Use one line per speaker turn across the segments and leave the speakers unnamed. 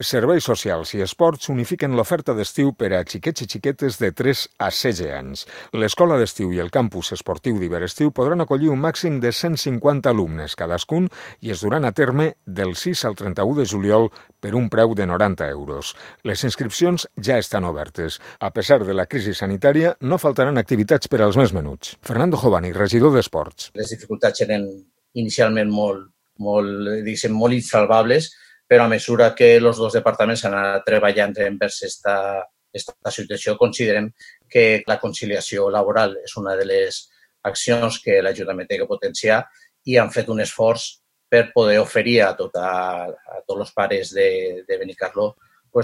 Serveis socials i esports unifiquen l'oferta d'estiu per a xiquets i xiquetes de 3 a 16 anys. L'escola d'estiu i el campus esportiu d'Iberestiu podran acollir un màxim de 150 alumnes cadascun i es duran a terme del 6 al 31 de juliol per un preu de 90 euros. Les inscripcions ja estan obertes. A pesar de la crisi sanitària, no faltaran activitats per als més menuts. Fernando Jovani, regidor d'Esports.
Les dificultats eren inicialment molt insalvables, però a mesura que els dos departaments han anat treballant envers aquesta situació, considerem que la conciliació laboral és una de les accions que l'Ajuntament té que potenciar i han fet un esforç per poder oferir a tots els pares de Benicarló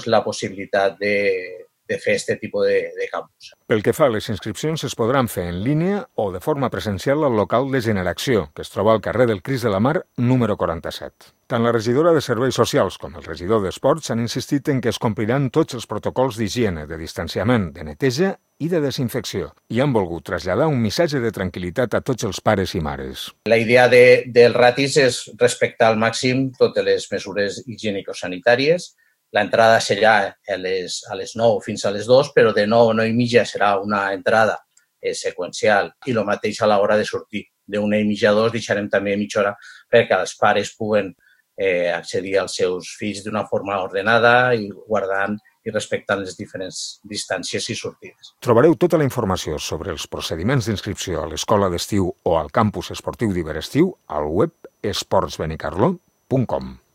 la possibilitat de fer aquest tipus de campus.
Pel que fa a les inscripcions, es podran fer en línia o de forma presencial al local de Generació, que es troba al carrer del Crist de la Mar, número 47. Tant la regidora de Serveis Socials com el regidor d'Esports han insistit en que es compliran tots els protocols d'higiene, de distanciament, de neteja i de desinfecció, i han volgut traslladar un missatge de tranquil·litat a tots els pares i mares.
La idea dels ratis és respectar al màxim totes les mesures higiènico-sanitàries. L'entrada serà a les 9 fins a les 2, però de 9 a 9:30 serà una entrada seqüencial i el mateix a l'hora de sortir. De 1:30 a 2 deixarem també mitja hora perquè els pares puguen accedir als seus fills d'una forma ordenada i guardant i respectant les diferents distàncies i sortides.
Trobareu tota la informació sobre els procediments d'inscripció a l'escola d'estiu o al campus esportiu d'Iberestiu al web esportsbenicarló.com.